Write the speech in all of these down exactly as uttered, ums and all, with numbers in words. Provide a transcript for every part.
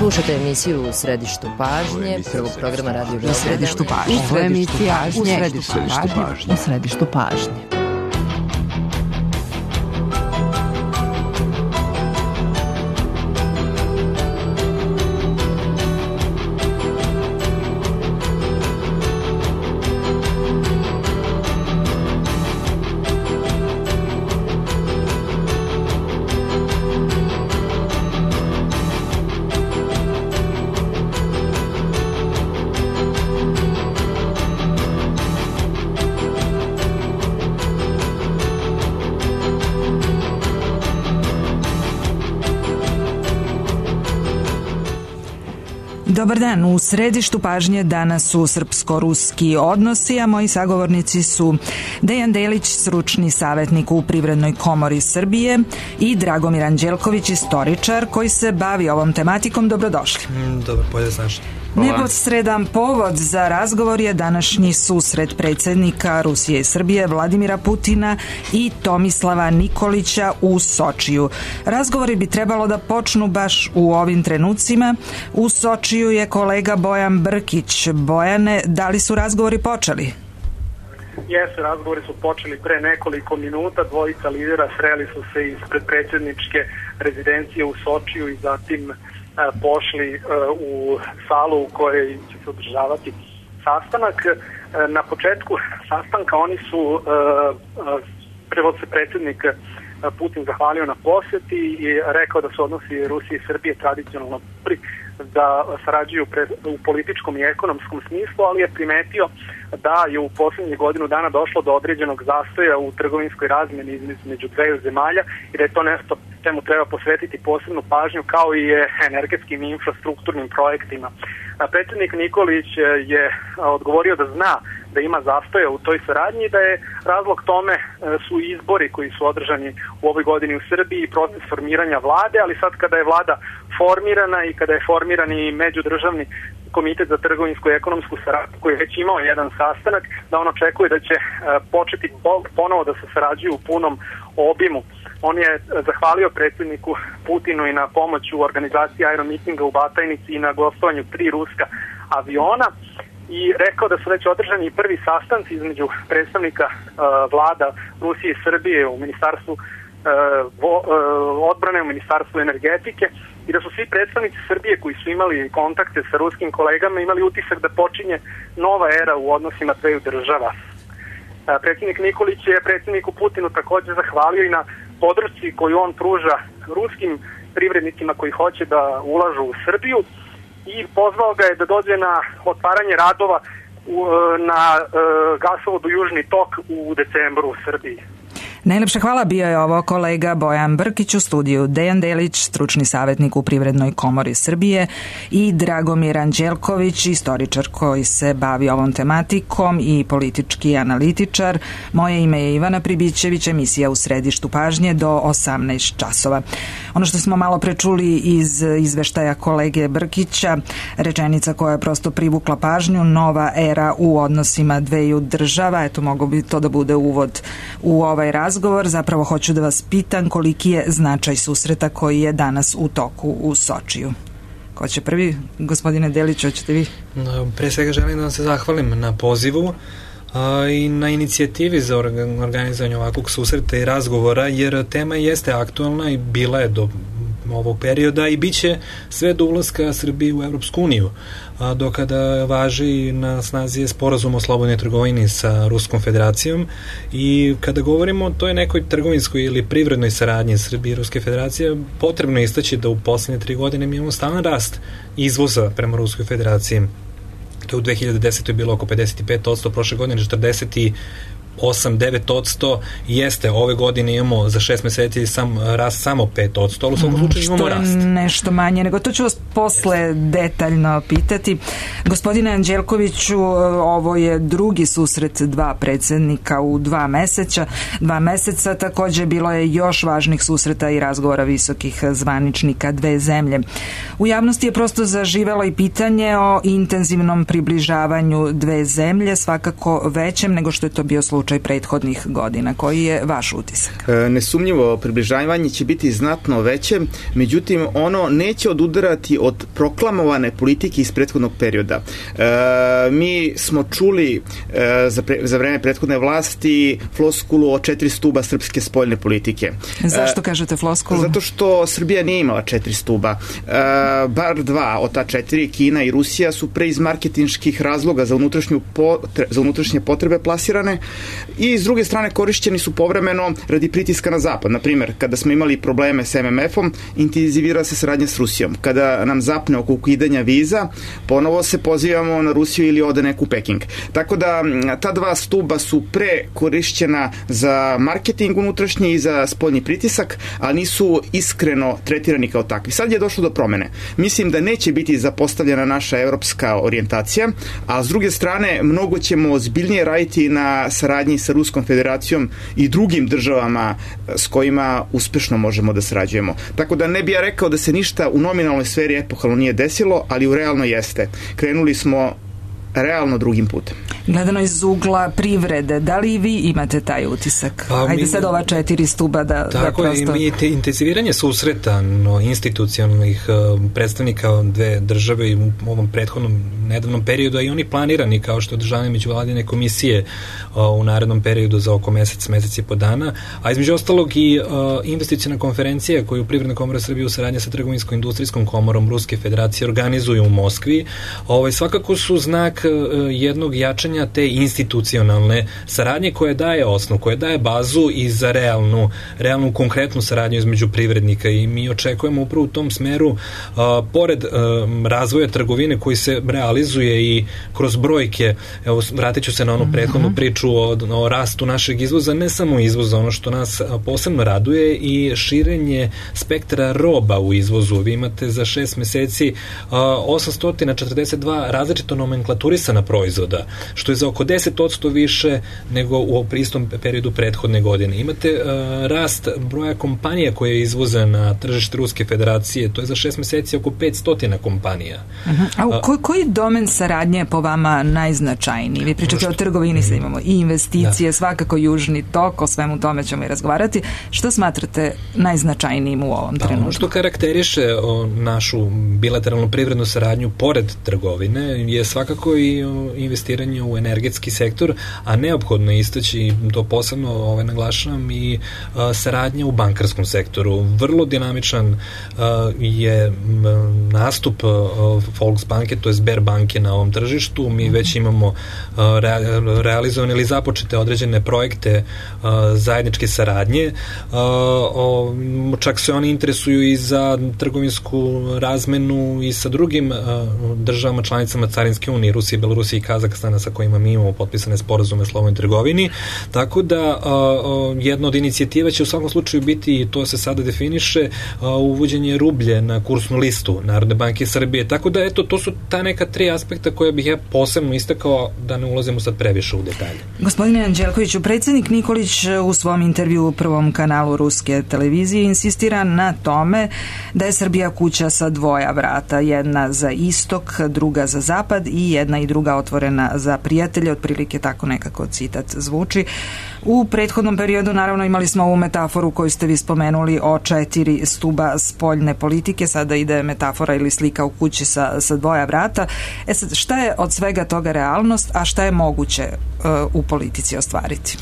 Slušate emisiju U središtu pažnje, prvog programa Radio Beograda. U središtu pažnje. Ovo je emisija U središtu pažnje. U središtu pažnje. Dobar dan, u središtu pažnje danas su srpsko-ruski odnosi, a moji sagovornici su Dejan Delić, stručni savjetnik u Privrednoj komori Srbije, i Dragomir Anđelković, istoričar koji se bavi ovom tematikom. Dobrodošli. Mm, dobro, bolje znaš. Neposredan povod za razgovor je današnji susret predsjednika Rusije i Srbije Vladimira Putina i Tomislava Nikolića u Sočiju. Razgovori bi trebalo da počnu baš u ovim trenucima. U Sočiju je kolega Bojan Brkić. Bojane, da li su razgovori počeli? Jesu, razgovori su počeli pre nekoliko minuta. Dvojica lidera sreli su se ispred predsjedničke rezidencije u Sočiju i zatim pošli u salu u kojoj će se održavati sastanak. Na početku sastanka oni su, prvo se predsjednik Putin zahvalio na posjeti i rekao da su odnosi Rusije i Srbije tradicionalno da sarađuju u političkom i ekonomskom smislu, ali je primetio da je u posljednjih godinu dana došlo do određenog zastoja u trgovinskoj razmjeni između dveju zemalja i da je to nešto čemu treba posvetiti posebnu pažnju, kao i energetskim i infrastrukturnim projektima. Predsjednik Nikolić je odgovorio da zna da ima zastoja u toj saradnji i da je razlog tome su izbori koji su održani u ovoj godini u Srbiji i proces formiranja vlade, ali sad kada je vlada formirana i kada je formiran i međudržavni komitet za trgovinsku i ekonomsku saradnju koji je već imao jedan sastanak, da on očekuje da će početi ponovo da se sarađuju u punom obimu. On je zahvalio predsjedniku Putinu i na pomoć u organizaciji aeromitinga u Batajnici i na gostovanju tri ruska aviona i rekao da su već održani prvi sastanci između predstavnika uh, vlada Rusije i Srbije u ministarstvu uh, vo, uh, odbrane, u ministarstvu energetike i da su svi predstavnici Srbije koji su imali kontakte sa ruskim kolegama imali utisak da počinje nova era u odnosima dveju država. Uh, predsjednik Nikolić je predsjedniku Putinu također zahvalio i na podršci koju on pruža ruskim privrednicima koji hoće da ulažu u Srbiju i pozvao ga je da dođe na otvaranje radova u, na uh, gasovodu Južni tok u decembru u Srbiji. Najlepša hvala, bio je ovo kolega Bojan Brkić, u studiju Dejan Delić, stručni savjetnik u Privrednoj komori Srbije, i Dragomir Anđelković, istoričar koji se bavi ovom tematikom i politički analitičar. Moje ime je Ivana Pribićević, emisija U središtu pažnje do osamnaest časova. Ono što smo malo prečuli iz izveštaja kolege Brkića, rečenica koja je prosto privukla pažnju, nova era u odnosima dveju država, eto mogo bi to da bude uvod u ovaj razgovor. Razgovor. Zapravo hoću da vas pitam koliki je značaj susreta koji je danas u toku u Sočiju. Ko će prvi? Gospodine Delić, hoćete vi? No, pre svega želim da vam se zahvalim na pozivu a, i na inicijativi za organizovanje ovakvog susreta i razgovora, jer tema jeste aktualna i bila je do ovog perioda i bit će sve do ulaska Srbije u Evropsku uniju, a do kada važi na snazi je sporazum o slobodnoj trgovini sa Ruskom federacijom. I kada govorimo o toj nekoj trgovinskoj ili privrednoj saradnji Srbije i Ruske federacije, potrebno je istaći da u posljednje tri godine mi imamo stalan rast izvoza prema Ruskoj federaciji. To je u dve hiljade desetoj bilo oko pedeset pet posto, prošle godine četrdeset osam do devet posto, jeste, ove godine imamo za šest meseci sam rast samo pet posto, ali u svakom slučaju imamo rast. Što je nešto manje, nego to ću vas posle detaljno pitati. Gospodine Anđelkoviću, ovo je drugi susret dva predsjednika u dva meseca. Dva meseca također bilo je još važnih susreta i razgovora visokih zvaničnika dve zemlje. U javnosti je prosto zaživelo i pitanje o intenzivnom približavanju dve zemlje, svakako većem nego što je to bio slučaj prethodnih godina. Koji je vaš utisak? Nesumnjivo, približavanje će biti znatno veće, međutim ono neće odudarati od proklamovane politike iz prethodnog perioda. E, mi smo čuli e, za, pre, za vreme prethodne vlasti floskulu o četiri stuba srpske spoljne politike. Zašto kažete floskulu? Zato što Srbija nije imala četiri stuba. E, bar dva od ta četiri, Kina i Rusija, su pre iz marketinških razloga za, unutrašnju potre, za unutrašnje potrebe plasirane i s druge strane korišćeni su povremeno radi pritiska na zapad. Na primjer, kada smo imali probleme s M M F-om, intenzivirala se saradnja s Rusijom. Kada nam zapne oko ukidanja viza, ponovo se pozivamo na Rusiju ili ode neku Peking. Tako da ta dva stuba su pre korišćena za marketing unutrašnji i za spoljni pritisak, a nisu iskreno tretirani kao takvi. Sad je došlo do promene. Mislim da neće biti zapostavljena naša evropska orijentacija, a s druge strane mnogo ćemo ozbiljnije raditi na saradnji sa Ruskom federacijom i drugim državama s kojima uspešno možemo da sarađujemo. Tako da ne bi ja rekao da se ništa u nominalnoj sferi epohalno nije desilo, ali u realno jeste. Krenuli smo realno drugim putem. Gledano iz ugla privrede, da li i vi imate taj utisak? Pa, Hajde mi, sad ova četiri stuba da, tako da prosto... Tako je, i te intenziviranje susreta no, institucionalnih uh, predstavnika dve države i u ovom prethodnom nedavnom periodu, a i oni planirani kao što održavaju međuvladine komisije uh, u narednom periodu za oko mesec, mesec i po dana, a između ostalog i uh, investiciona konferencija koju Privredna komora Srbije u saradnji sa Trgovinsko-industrijskom komorom Ruske federacije organizuju u Moskvi, ovaj, svakako su znak jednog jačanja te institucionalne saradnje koje daje osnov, koje daje bazu i za realnu, realnu konkretnu saradnju između privrednika i mi očekujemo upravo u tom smeru, a, pored a, razvoja trgovine koji se realizuje i kroz brojke, evo vratit ću se na onu prethodnu priču o, o rastu našeg izvoza, ne samo izvoza, ono što nas posebno raduje i širenje spektra roba u izvozu. Vi imate za šest meseci a, osamsto četrdeset dva različito nomenklaturisana proizvoda, što je za oko deset posto više nego u istom periodu prethodne godine. Imate uh, rast broja kompanija koje izvoze na tržište Ruske federacije, to je za šest meseci oko petsto kompanija. Uh-huh. A u koj, koji domen saradnje je po vama najznačajniji? Vi pričate što... o trgovini, sad imamo i investicije, da. Svakako južni tok, o svemu tome ćemo i razgovarati. Što smatrate najznačajnijim u ovom da, trenutku? Ono što karakteriše o, našu bilateralnu privrednu saradnju pored trgovine je svakako i investiranje u energetski sektor, a neophodno istaći, to posebno ovaj, naglašavam, i a, saradnja u bankarskom sektoru. Vrlo dinamičan a, je m, nastup a, Volksbanke, to je Sberbanke na ovom tržištu. Mi već imamo a, re, realizovane ili započete određene projekte a, zajedničke saradnje. A, o, čak se oni interesuju i za trgovinsku razmenu i sa drugim a, državama članicama Carinske unije, Rusije, Belorusije i Kazahstana sa kojima mi imamo potpisane sporazume o slobodnoj trgovini. Tako da a, a, jedna od inicijativa će u svakom slučaju biti, i to se sada definiše, a, uvođenje rublje na kursnu listu Narodne banke Srbije. Tako da, eto, to su ta neka tri aspekta koje bih ja posebno istakao, da ne ulazimo sad previše u detalje. Gospodine Anđelkoviću, predsjednik Nikolić u svom intervju u prvom kanalu ruske televizije insistira na tome da je Srbija kuća sa dvoja vrata, jedna za istok, druga za zapad i jedna i druga otvorena za prijatelje, otprilike tako nekako citat zvuči. U prethodnom periodu naravno imali smo ovu metaforu koju ste vi spomenuli o četiri stuba spoljne politike, sada ide metafora ili slika u kući sa, sa dvoja vrata. E sad, šta je od svega toga realnost, a šta je moguće uh, u politici ostvariti?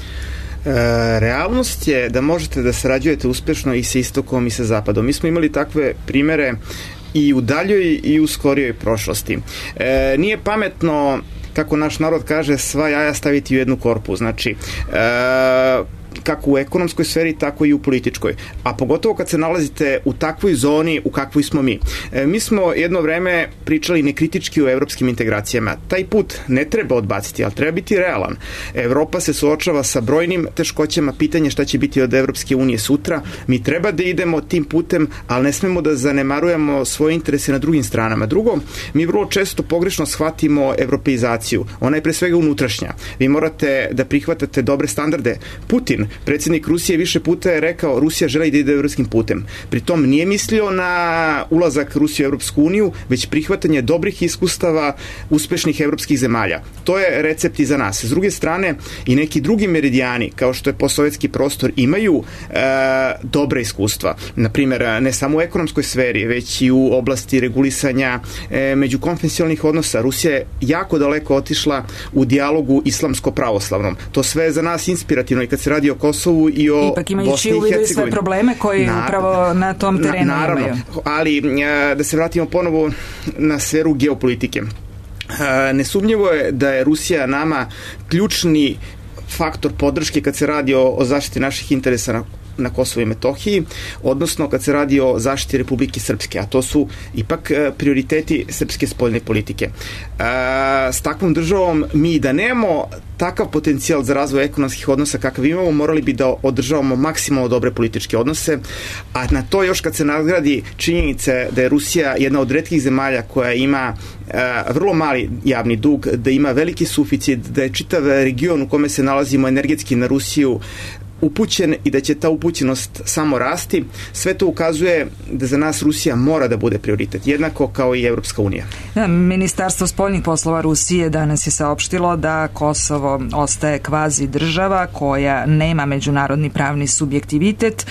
E, realnost je da možete da sarađujete uspešno i sa istokom i sa zapadom. Mi smo imali takve primere i u daljoj i u skorijoj prošlosti. E, nije pametno, kako naš narod kaže, sva jaja staviti u jednu korpu. Znači, e, kako u ekonomskoj sferi, tako i u političkoj. A pogotovo kad se nalazite u takvoj zoni u kakvoj smo mi. E, mi smo jedno vreme pričali nekritički o evropskim integracijama. Taj put ne treba odbaciti, ali treba biti realan. Evropa se suočava sa brojnim teškoćama, pitanje šta će biti od Evropske unije sutra. Mi treba da idemo tim putem, ali ne smemo da zanemarujemo svoje interese na drugim stranama. Drugo, mi vrlo često pogrešno shvatimo evropeizaciju. Ona je pre svega unutrašnja. Vi morate da prihvatate dobre standarde. Putin Predsjednik Rusije više puta je rekao Rusija želi da ide evropskim putem. Pritom nije mislio na ulazak Rusije u Evropsku uniju, već prihvatanje dobrih iskustava uspešnih evropskih zemalja. To je recept i za nas. S druge strane, i neki drugi meridijani, kao što je postsovjetski prostor, imaju e, dobre iskustva. Naprimer, ne samo u ekonomskoj sferi, već i u oblasti regulisanja e, međukonfesionalnih odnosa. Rusija je jako daleko otišla u dijalogu islamsko-pravoslavnom. To sve je za nas inspirativno i kad se radi o Kosovu i o Ipak imajući u vidu i sve probleme koji na, upravo na tom terenu na, naravno, imaju. Ali e, da se vratimo ponovo na sferu geopolitike. E, nesumnjivo je da je Rusija nama ključni faktor podrške kad se radi o, o zaštiti naših interesa na, na Kosovu i Metohiji, odnosno kad se radi o zaštiti Republike Srpske, a to su ipak e, prioriteti srpske spoljne politike. E, s takvom državom mi da nemamo takav potencijal za razvoj ekonomskih odnosa kakav imamo, morali bi da održavamo maksimalno dobre političke odnose, a na to još kad se nadgradi činjenice da je Rusija jedna od retkih zemalja koja ima e, vrlo mali javni dug, da ima veliki suficit, da je čitav region u kome se nalazimo energetski na Rusiju upućen i da će ta upućenost samo rasti, sve to ukazuje da za nas Rusija mora da bude prioritet, jednako kao i Evropska unija. Ministarstvo spoljnih poslova Rusije danas je saopštilo da Kosovo ostaje kvazi država koja nema međunarodni pravni subjektivitet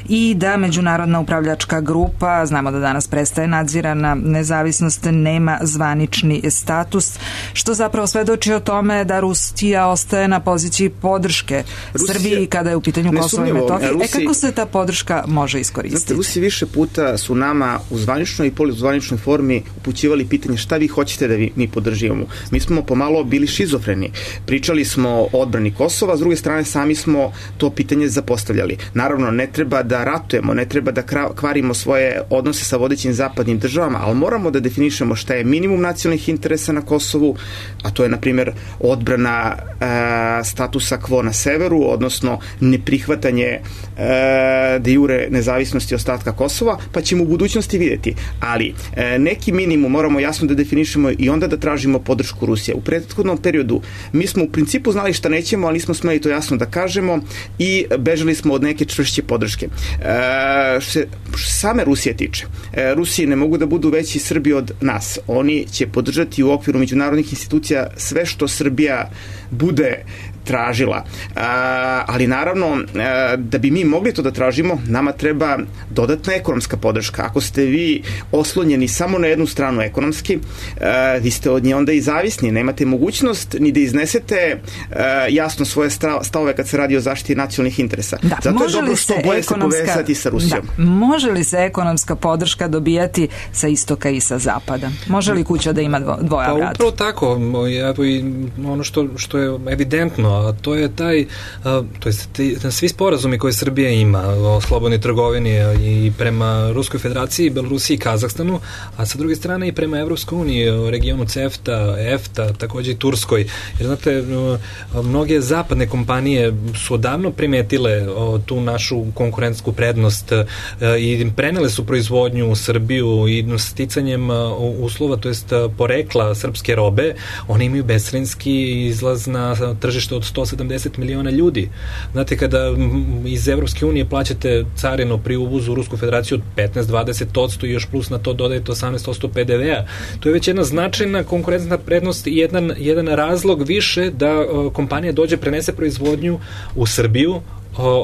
i da međunarodna upravljačka grupa, znamo da danas prestaje nadzirana nezavisnost, nema zvanični status, što zapravo svedoči o tome da Rusija ostaje na poziciji podrške Rusija, Srbiji kada je u pitanju Kosovo i Metohija. E kako se ta podrška može iskoristiti? Znate, Rusi više puta su nama u zvaničnoj i poluzvaničnoj formi upućivali pitanje šta vi hoćete da vi, mi podrživamo. Mi smo pomalo bili šizofreni. Pričali smo o odbrani Kosova, s druge strane sami smo to pitanje zapostavljali. Naravno, ne treba da ratujemo, ne treba da kvarimo svoje odnose sa vodećim zapadnim državama, ali moramo da definišemo šta je minimum nacionalnih interesa na Kosovu, a to je, na primjer, odbrana e, statusa quo na severu, odnosno neprihvatanje e, de jure nezavisnosti ostatka Kosova, pa ćemo u budućnosti vidjeti. Ali e, neki minimum moramo jasno da definišemo i onda da tražimo podršku Rusije. U prethodnom periodu mi smo u principu znali šta nećemo, ali nismo smeli to jasno da kažemo i bežali smo od neke čvršće podrške. E, što se same Rusije tiče, e, Rusiji ne mogu da budu veći Srbi od nas. Oni će podržati u okviru međunarodnih institucija sve što Srbija bude tražila. A, ali naravno, a, da bi mi mogli to da tražimo, nama treba dodatna ekonomska podrška. Ako ste vi oslonjeni samo na jednu stranu ekonomski, a, vi ste od nje onda i zavisni. Nemate mogućnost ni da iznesete a, jasno svoje stavove kad se radi o zaštiti nacionalnih interesa. Da, zato je dobro što boje se povezati sa Rusijom. Da, može li se ekonomska podrška dobijati sa istoka i sa zapada? Može li kuća da ima dvo, dvoja pa, vrata? Upravo tako. Evo i ono što, što je evidentno, a to je taj, a, to je te, svi sporazumi koje Srbija ima o slobodnoj trgovini i prema Ruskoj federaciji, Belorusiji i Kazahstanu, a sa druge strane i prema Evropskoj uniji, regionu CEFTA, EFTA, takođe i Turskoj. Jer znate, mnoge zapadne kompanije su odavno primetile o, tu našu konkurentsku prednost a, i prenele su proizvodnju u Srbiju i sticanjem a, uslova, to jest a, porekla srpske robe, oni imaju bescarinski izlaz na tržište od sto sedamdeset miliona ljudi. Znate, kada iz Evropske unije plaćate carinu pri uvozu u Rusku federaciju od petnaest do dvadeset posto i još plus na to dodajete osamnaest posto pe de ve a, to je već jedna značajna konkurentna prednost i jedan, jedan razlog više da uh, kompanija dođe, prenese proizvodnju u Srbiju,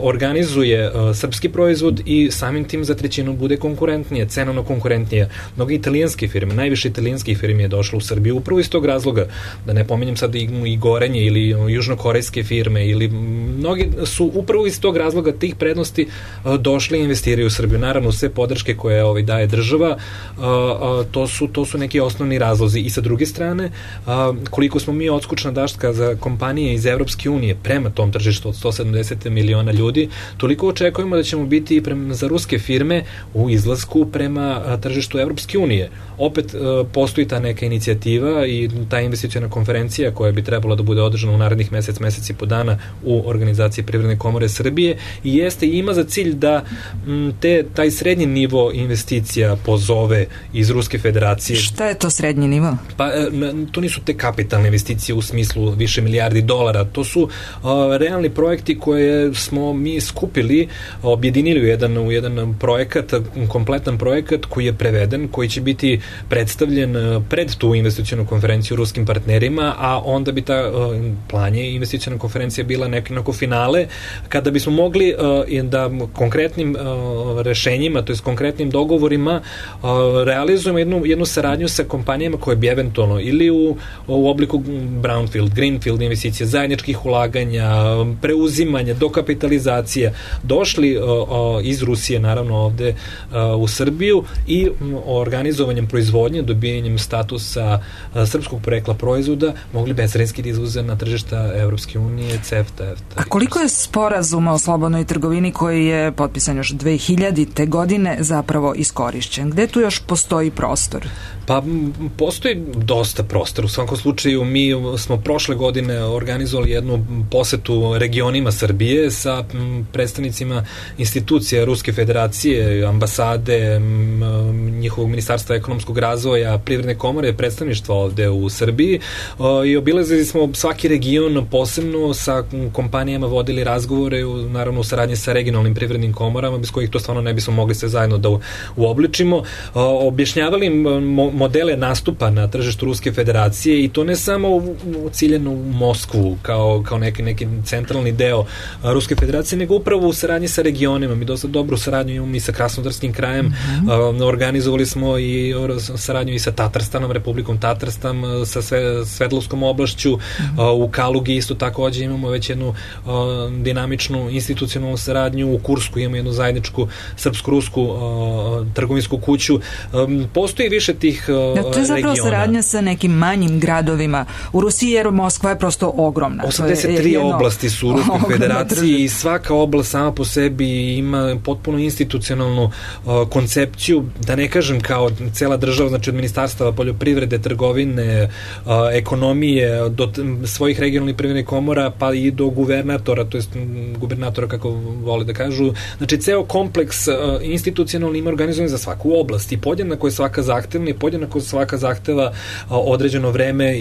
organizuje uh, srpski proizvod i samim tim za trećinu bude konkurentnije, cenovno konkurentnije. Mnogi italijanske firme, najviše italijanskih firmi je došlo u Srbiju upravo iz tog razloga, da ne pominjem sad i, i Gorenje ili južnokorejske firme ili mnogi su upravo iz tog razloga tih prednosti uh, došli i investiraju u Srbiju. Naravno, sve podrške koje ovaj, daje država, uh, uh, to, su, to su neki osnovni razlozi. I sa druge strane, uh, koliko smo mi odskučna daška za kompanije iz Evropske unije prema tom tržištu od sto sedamdeset miliona ljudi, toliko očekujemo da ćemo biti i prema, za ruske firme u izlasku prema a, tržištu Evropske unije. Opet a, postoji ta neka inicijativa i ta investiciona konferencija koja bi trebala da bude održana u narednih mesec, mesec i po dana u organizaciji Privredne komore Srbije i jeste i ima za cilj da m, te, taj srednji nivo investicija pozove iz Ruske federacije. Šta je to srednji nivo? Pa to nisu te kapitalne investicije u smislu više milijardi dolara, to su a, realni projekti koje smo mi skupili, objedinili u jedan, u jedan projekat, kompletan projekat koji je preveden, koji će biti predstavljen pred tu investicionu konferenciju ruskim partnerima, a onda bi ta plan je investiciona konferencija bila neko finale, kada bismo mogli da konkretnim rešenjima, to je s konkretnim dogovorima realizujemo jednu, jednu saradnju sa kompanijama koje bi eventualno ili u, u obliku brownfield, greenfield investicija, zajedničkih ulaganja, preuzimanja, dokapitalizacija, došli iz Rusije naravno ovde u Srbiju i organizovanjem proizvodnje, dobijanjem statusa srpskog porekla proizvoda mogli bezcarinski da izvoze na tržišta Evropske unije, CEFTA, E F T A. A koliko je sporazuma o slobodnoj trgovini koji je potpisan još dve hiljadite. godine zapravo iskorišćen? Gde tu još postoji prostor? Pa postoji dosta prostora. U svakom slučaju mi smo prošle godine organizovali jednu posetu regionima Srbije sa predstavnicima institucija Ruske federacije, ambasade, njihovog ministarstva ekonomskog razvoja, privredne komore, predstavništva ovde u Srbiji i obilazili smo svaki region posebno, sa kompanijama vodili razgovore, naravno u saradnji sa regionalnim privrednim komorama, bez kojih to stvarno ne bismo mogli se zajedno da uobličimo, objašnjavali modele nastupa na tržištu Ruske federacije i to ne samo u, u ciljenu u Moskvu kao, kao neki, neki centralni deo Ruske federacije, nego upravo u saradnji sa regionima. Mi dosta dobru saradnju imamo i sa Krasnodarskim krajem, mm-hmm. organizovali smo i saradnju i sa Tatarstanom, Republikom Tatarstan, sa sve, Svedlovskom oblašću, mm-hmm. u Kalugi isto takođe imamo već jednu dinamičnu institucionalnu saradnju, u Kursku imamo jednu zajedničku srpsko-rusku trgovinsku kuću. Postoji više tih da, to je zapravo regiona. Saradnja sa nekim manjim gradovima u Rusiji, jer Moskva je prosto ogromna. osamdeset tri oblasti su u Ruskoj federaciji i svaka oblast sama po sebi ima potpuno institucionalnu uh, koncepciju, da ne kažem kao cela država, znači od ministarstava poljoprivrede, trgovine, uh, ekonomije, do svojih regionalnih privrednih komora, pa i do guvernatora, to jest gubernatora kako vole da kažu. Znači ceo kompleks uh, institucionalni ima organizovan za svaku oblast i podjednako je svaka zahtevna i podjednako svaka zahteva određeno vreme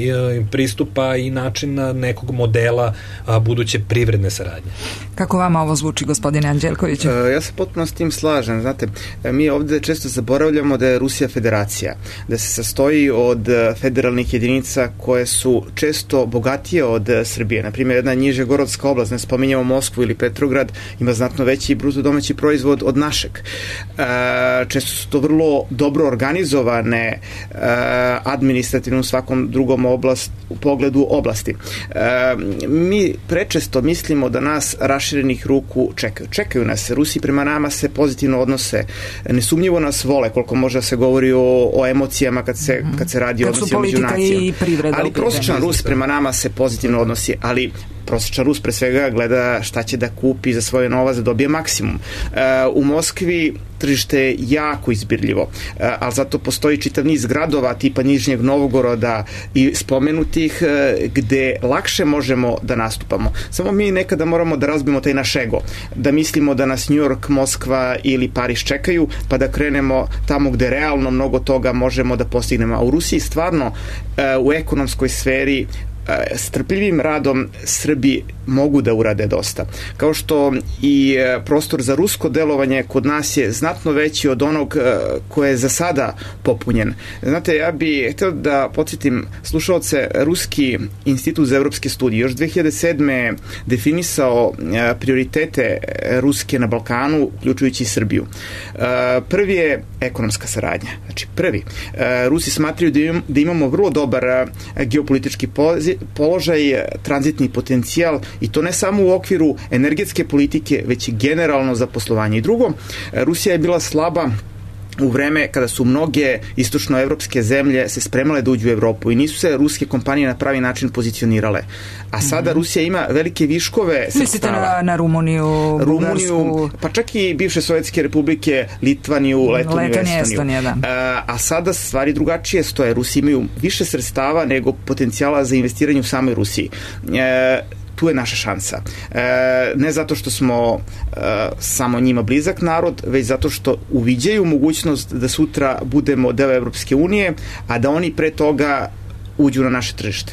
pristupa i načina nekog modela buduće privredne saradnje. Kako vama ovo zvuči, gospodine Anđelkoviću? Ja se potpuno s tim slažem. Znate, mi ovde često zaboravljamo da je Rusija federacija, da se sastoji od federalnih jedinica koje su često bogatije od Srbije. Naprimjer, jedna Nižegorodska oblast, ne spominjamo Moskvu ili Petrograd, ima znatno veći bruto domaći proizvod od našeg. Često su to vrlo dobro organizovane administrativno u svakom drugom oblast, u pogledu oblasti. Mi prečesto mislimo da nas raširenih ruku čekaju. Čekaju nas. Rusi prema nama se pozitivno odnose. Nesumnjivo nas vole, koliko može da se govori o, o emocijama kad se, kad se radi o odnosima među nacijom. Ali prosječan Rus prema nama se pozitivno odnosi, ali prosječan Rus pre svega gleda šta će da kupi za svoje novac da dobije maksimum. U Moskvi tržište je jako izbirljivo, ali zato postoji čitav niz gradova tipa Nižnjeg Novgoroda i spomenutih gde lakše možemo da nastupamo. Samo mi nekada moramo da razbijemo taj naš ego, da mislimo da nas New York, Moskva ili Pariz čekaju, pa da krenemo tamo gde realno mnogo toga možemo da postignemo. A u Rusiji stvarno u ekonomskoj sferi strpljivim radom Srbi mogu da urade dosta. Kao što i prostor za rusko delovanje kod nas je znatno veći od onog koje je za sada popunjen. Znate, ja bih htio da podsjetim slušalce, Ruski institut za evropske studije još dve hiljade sedme definisao prioritete Ruske na Balkanu, uključujući i Srbiju. Prvi je ekonomska saradnja. Znači, prvi. Rusi smatraju da imamo vrlo dobar geopolitički položaj, tranzitni potencijal i to ne samo u okviru energetske politike, već i generalno za poslovanje. I drugo, Rusija je bila slaba u vreme kada su mnoge istočnoevropske zemlje se spremale da uđu u Evropu i nisu se ruske kompanije na pravi način pozicionirale. A sada mm-hmm. Rusija ima velike viškove sredstava. Mislite na, na Rumuniju, Bugarsku? Pa čak i bivše sovjetske republike, Litvaniju, Letoniju, Letonije, Estoniju. Da. A, a sada stvari drugačije stoje. Rusi imaju više sredstava nego potencijala za investiranje u samoj Rusiji. E, tu je naša šansa. E, ne zato što smo e, samo njima blizak narod, već zato što uviđaju mogućnost da sutra budemo deo Evropske unije, a da oni pre toga uđu na naše tržište.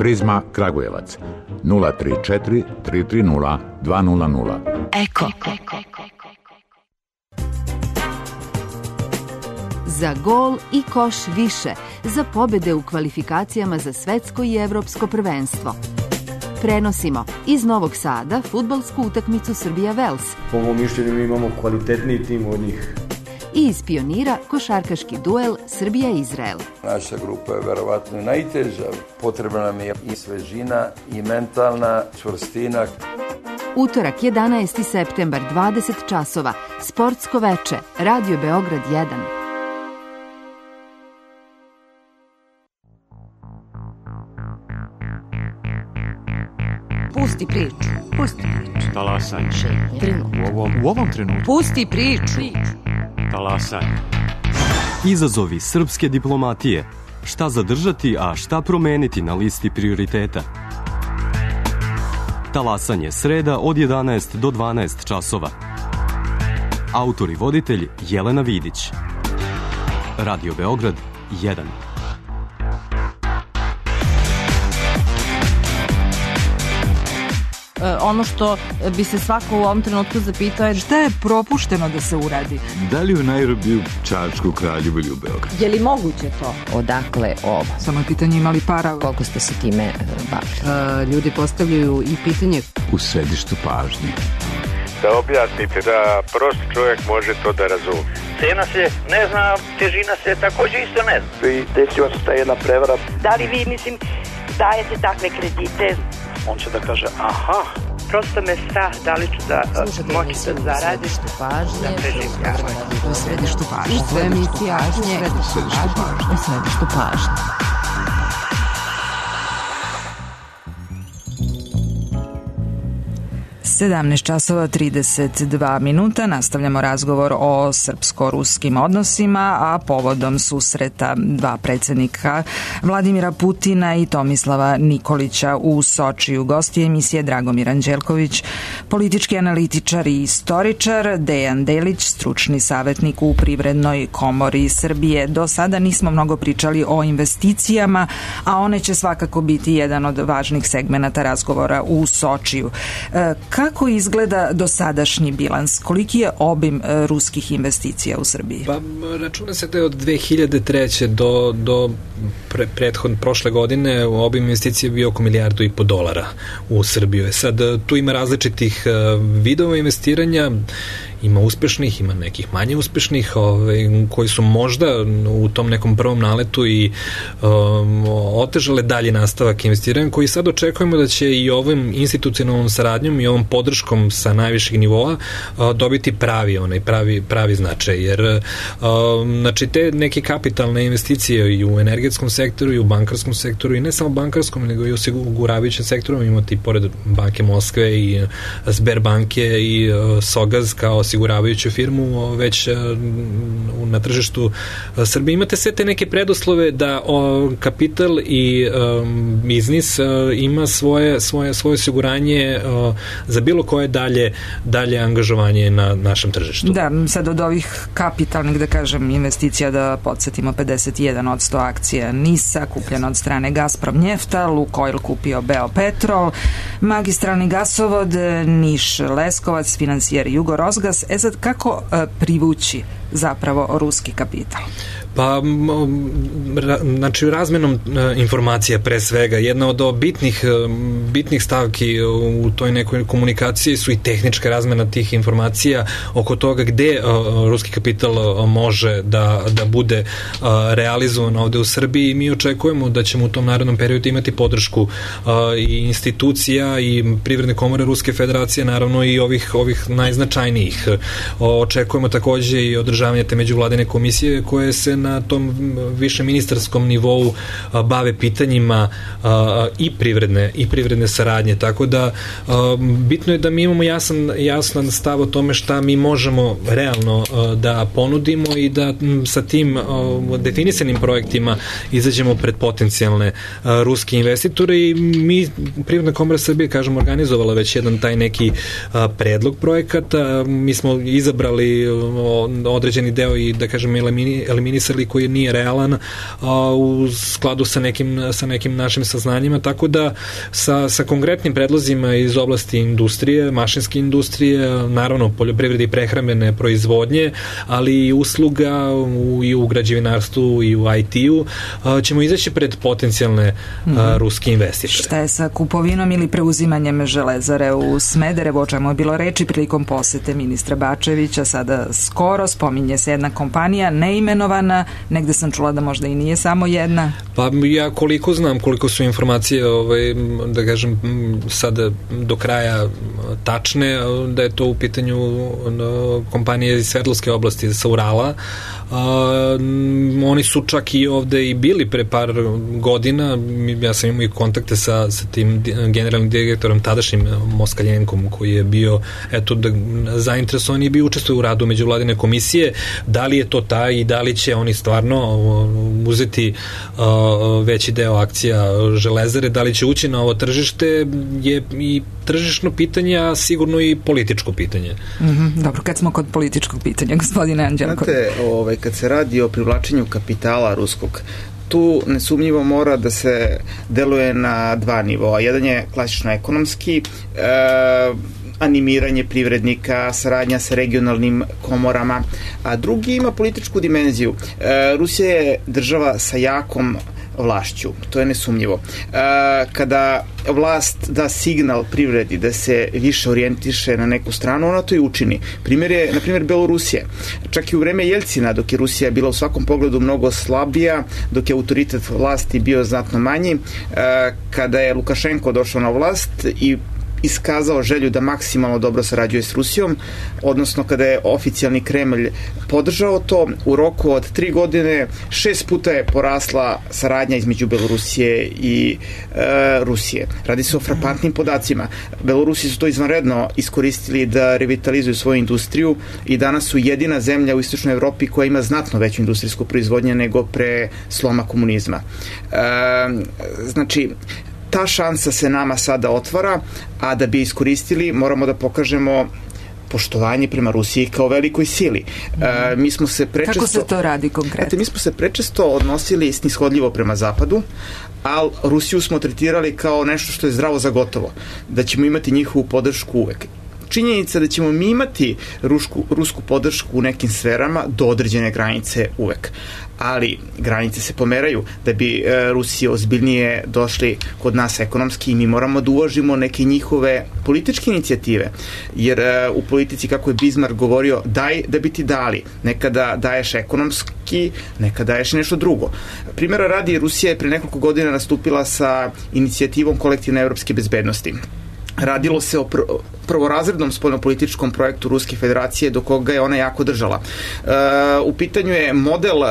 Prizma Kragujevac nula tri četiri tri tri nula dva nula nula. Eko. Za gol i koš više, za pobede u kvalifikacijama za svetsko i evropsko prvenstvo. Prenosimo iz Novog Sada fudbalsku utakmicu Srbija-Vels. Po mom mišljenju mi imamo kvalitetniji tim od njih. I iz Pionira košarkaški duel Srbija-Izrael. Naša grupa je verovatno najteža. Potrebna nam je i svežina i mentalna čvrstina. Utorak jedanaesti septembar, dvadeset časova, sportsko veče, Radio Beograd jedan. Pusti priču. Pusti priču. Talasaj. Trenutku. U ovom, u ovom trenutku. Pusti priču. Talasaj. Izazovi srpske diplomatije. Šta zadržati, a šta promeniti na listi prioriteta? Talasanje sreda od jedanaest do dvanaest časova. Autor i voditelj Jelena Vidić. Radio Beograd jedan. Ono što bi se svako u ovom trenutku zapitao je šta je propušteno da se uradi? Da li u Nairobiju, Čačku, Kraljevu ili u Beogradu? Je li moguće to? Odakle ovo? Samo je pitanje imali para. Koliko ste se time bavili? Uh, ljudi postavljaju i pitanje u središtu pažnje. Da objasnite da prost čovjek može to da razumije. Cena se ne zna, težina se također isto ne zna. I desila se ta jedna prevara. Da li vi, mislim, dajete takve kredite? On će da kaže, aha. Prosto me strah da li ću da uh, moći da zaradim. U središtu pažnje. Da preživljavam. U središtu pažnje. U središtu pažnje. U središtu pažnje. sedamnaest časova trideset dva minuta. Nastavljamo razgovor o srpsko-ruskim odnosima, a povodom susreta dva predsjednika Vladimira Putina i Tomislava Nikolića u Sočiju. Gosti emisije Dragomir Anđelković, politički analitičar i istoričar, Dejan Delić, stručni savjetnik u Privrednoj komori Srbije. Do sada nismo mnogo pričali o investicijama, a one će svakako biti jedan od važnih segmenata razgovora u Sočiju. Kako Kako izgleda dosadašnji bilans? Koliki je obim ruskih investicija u Srbiji? Pa, računa se da je od dve hiljade treće do, do pre, prethod, prošle godine obim investicija bio oko milijardu i po dolara u Srbiju. Sad, tu ima različitih vidova investiranja, ima uspešnih, ima nekih manje uspešnih, ovaj, koji su možda u tom nekom prvom naletu i um, otežale dalje nastavak investiranja, koji sad očekujemo da će i ovim institucionalnom saradnjom i ovom podrškom sa najvišeg nivoa uh, dobiti pravi, onaj, pravi, pravi značaj, jer uh, znači te neke kapitalne investicije i u energetskom sektoru i u bankarskom sektoru i ne samo bankarskom, nego i u osiguravajućem sektoru, imate i pored Banke Moskve i Sberbanke i uh, Sogaz kao osiguravajuću firmu već na tržištu Srbije. Imate sve te neke preduslove da o, kapital i um, biznis uh, ima svoje, svoje, svoje osiguranje uh, za bilo koje dalje, dalje angažovanje na našem tržištu. Da, sad od ovih kapitalnih, da kažem, investicija, da podsjetimo, pedeset jedan posto akcija NIS-a kupljeno od strane Gazprom Njefta, Lukoil kupio Beopetrol, magistralni gasovod Niš-Leskovac, finansijer Jugorosgas. E sad, kako e, privući zapravo ruski kapital? Pa, ra, znači razmenom e, informacija pre svega. Jedna od bitnih, bitnih stavki u toj nekoj komunikaciji su i tehnička razmena tih informacija oko toga gde e, ruski kapital e, može da, da bude e, realizovan ovde u Srbiji. Mi očekujemo da ćemo u tom narednom periodu imati podršku e, i institucija i Privredne komore Ruske federacije, naravno i ovih, ovih najznačajnijih. O, očekujemo takođe i održavanje te međuvladine komisije koje se na tom više ministarskom nivou a, bave pitanjima a, i privredne i privredne saradnje, tako da a, bitno je da mi imamo jasan, jasan stav o tome šta mi možemo realno a, da ponudimo i da m, sa tim a, definisanim projektima izađemo pred potencijalne a, ruske investitore i mi, Privredna komora Srbije, kažem, organizovala već jedan taj neki a, predlog projekata. Mi smo izabrali o, određeni deo i, da kažem, elimini, eliminisali napisali, koji nije realan a, u skladu sa nekim, sa nekim našim saznanjima, tako da sa, sa konkretnim predlozima iz oblasti industrije, mašinske industrije, naravno poljoprivrede i prehrambene proizvodnje, ali i usluga u, i u građevinarstvu i u I T-u, a, ćemo izaći pred potencijalne a, mm-hmm. ruske investitore. Šta je sa kupovinom ili preuzimanjem Železare u Smederevo, o čemu je bilo reči prilikom posete ministra Bačevića, sada skoro spominje se jedna kompanija neimenovana, negde sam čula da možda i nije samo jedna. Pa ja koliko znam, koliko su informacije ovaj, da kažem sada do kraja tačne, da je to u pitanju kompanije iz Sverdlovske oblasti sa Urala. Uh, oni su čak i ovde i bili pre par godina, ja sam imao i kontakte sa, sa tim generalnim direktorom tadašnjim Moskaljenkom, koji je bio eto, da, zainteresovan i bio učestvuje u radu međuvladine komisije. Da li je to taj i da li će oni stvarno uh, uzeti uh, veći deo akcija Železare, da li će ući na ovo tržište, je i tržišno pitanje, a sigurno i političko pitanje. Mm-hmm. Dobro, kad smo kod političkog pitanja, gospodine Anđelko. Znate, ovaj, kad se radi o privlačenju kapitala ruskog, tu nesumnjivo mora da se deluje na dva nivoa. Jedan je klasično ekonomski, e, animiranje privrednika, saradnja sa regionalnim komorama, a drugi ima političku dimenziju. E, Rusija je država sa jakom vlašću, to je nesumnjivo. E, kada vlast da signal privredi da se više orijentiše na neku stranu, ona to i učini. Primjer je, na primjer, Belorusija. Čak i u vreme Jeljcina, dok je Rusija bila u svakom pogledu mnogo slabija, dok je autoritet vlasti bio znatno manji, e, kada je Lukašenko došao na vlast i iskazao želju da maksimalno dobro sarađuje s Rusijom, odnosno kada je oficijalni Kremlj podržao to, u roku od tri godine šest puta je porasla saradnja između Belorusije i e, Rusije. Radi se o frapantnim podacima. Belorusi su to izvanredno iskoristili da revitalizuju svoju industriju i danas su jedina zemlja u istočnoj Evropi koja ima znatno veću industrijsku proizvodnju nego pre sloma komunizma. E, znači, ta šansa se nama sada otvara, a da bi iskoristili moramo da pokažemo poštovanje prema Rusiji kao velikoj sili. E, mi smo se prečesto... Kako se to radi konkretno? Ete, mi smo se prečesto odnosili snishodljivo prema Zapadu, ali Rusiju smo tretirali kao nešto što je zdravo za gotovo, da ćemo imati njihovu podršku uvek. Činjenica da ćemo mi imati rusku, rusku podršku u nekim sferama do određene granice uvek. Ali granice se pomeraju. Da bi e, Rusije ozbiljnije došli kod nas ekonomski, mi moramo da uvažimo neke njihove političke inicijative. Jer e, u politici, kako je Bismarck govorio, daj da bi ti dali. Nekada daješ ekonomski, nekada daješ nešto drugo. Primjera radi, Rusija je pre nekoliko godina nastupila sa inicijativom kolektivne evropske bezbednosti. Radilo se o pr prvorazrednom spoljnopolitičkom projektu Ruske federacije do koga je ona jako držala. E, u pitanju je model e,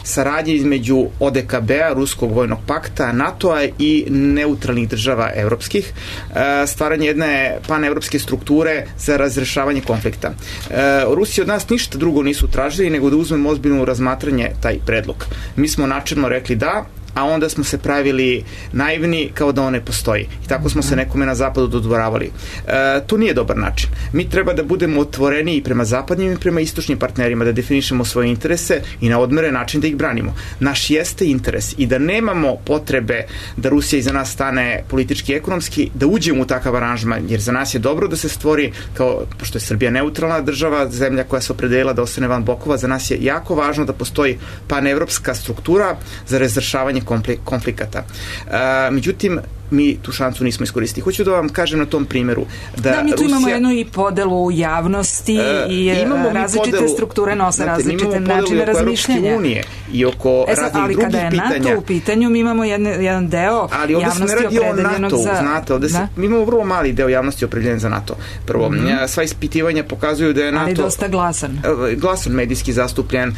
saradnje između O D K B-a, Ruskog vojnog pakta, NATO-a i neutralnih država evropskih, e, stvaranje jedne panevropske strukture za razrešavanje konflikta. E, Rusi od nas ništa drugo nisu tražili nego da uzmemo ozbiljno razmatranje taj predlog. Mi smo načelno rekli da, a onda smo se pravili naivni kao da on ne postoji. I tako smo se nekome na zapadu dodvoravali. E, to nije dobar način. Mi treba da budemo otvoreni i prema zapadnim i prema istočnim partnerima, da definišemo svoje interese i na odmeren način da ih branimo. Naš jeste interes i da nemamo potrebe da Rusija iza nas stane politički i ekonomski, da uđemo u takav aranžman, jer za nas je dobro da se stvori, kao, pošto je Srbija neutralna država, zemlja koja se opredelila da ostane van bokova, za nas je jako važno da postoji panevropska struktura za razrešavanje konflikata. E, međutim, mi tu šansu nismo iskoristili. Hoću da vam kažem na tom primjeru da, da mi tu Rusija, imamo jednu i podelu javnosti e, i različite podelu, strukture nose znate, različite načine razmišljanja. Unije i oko e, sad, raznih drugih pitanja. Ali kada je NATO u pitanju, mi imamo jedne, jedan deo ali javnosti opredeljenog NATO, za... Znate, ovde se, da? Mi imamo vrlo mali deo javnosti opredeljen za NATO. Prvo, mm -hmm. sva ispitivanja pokazuju da je NATO... Ali dosta glasan. Glasan medijski zastupljen,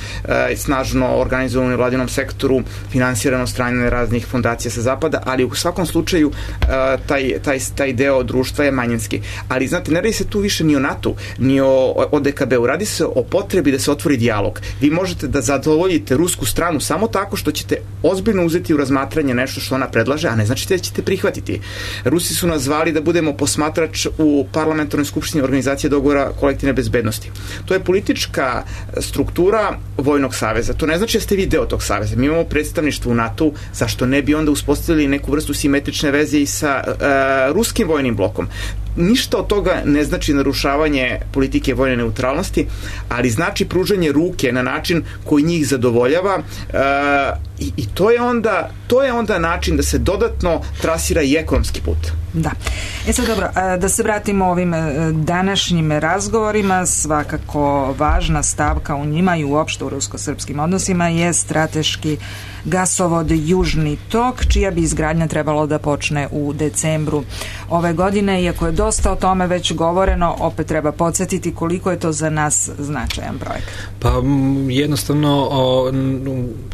snažno organizovan u vladinom sektoru, finansirano strane raznih fondacija sa zapada, ali u svakom slučaju slučaju taj, taj, taj deo društva je manjinski. Ali znate, ne radi se tu više ni o NATO, ni o, o D K B-u, radi se o potrebi da se otvori dijalog. Vi možete da zadovoljite rusku stranu samo tako što ćete ozbiljno uzeti u razmatranje nešto što ona predlaže, a ne znači da ćete prihvatiti. Rusi su nas zvali da budemo posmatrač u parlamentarnoj skupštini Organizacije dogovora kolektivne bezbednosti. To je politička struktura vojnog saveza. To ne znači da ste vi deo tog saveza. Mi imamo predstavništvo u NATO, zašto ne bi onda uspostavili neku vrstu simetrične veze i sa uh, ruskim vojnim blokom. Ništa od toga ne znači narušavanje politike vojne neutralnosti, ali znači pružanje ruke na način koji njih zadovoljava uh, i, i to je onda to je onda način da se dodatno trasira i ekonomski put. Da. E sad dobro, da se vratimo ovim današnjim razgovorima, svakako važna stavka u njima i uopšte u rusko-srpskim odnosima je strateški gasovod Južni tok, čija bi izgradnja trebalo da počne u decembru ove godine. Iako je dosta o tome već govoreno, opet treba podsjetiti koliko je to za nas značajan projekat. Pa jednostavno o,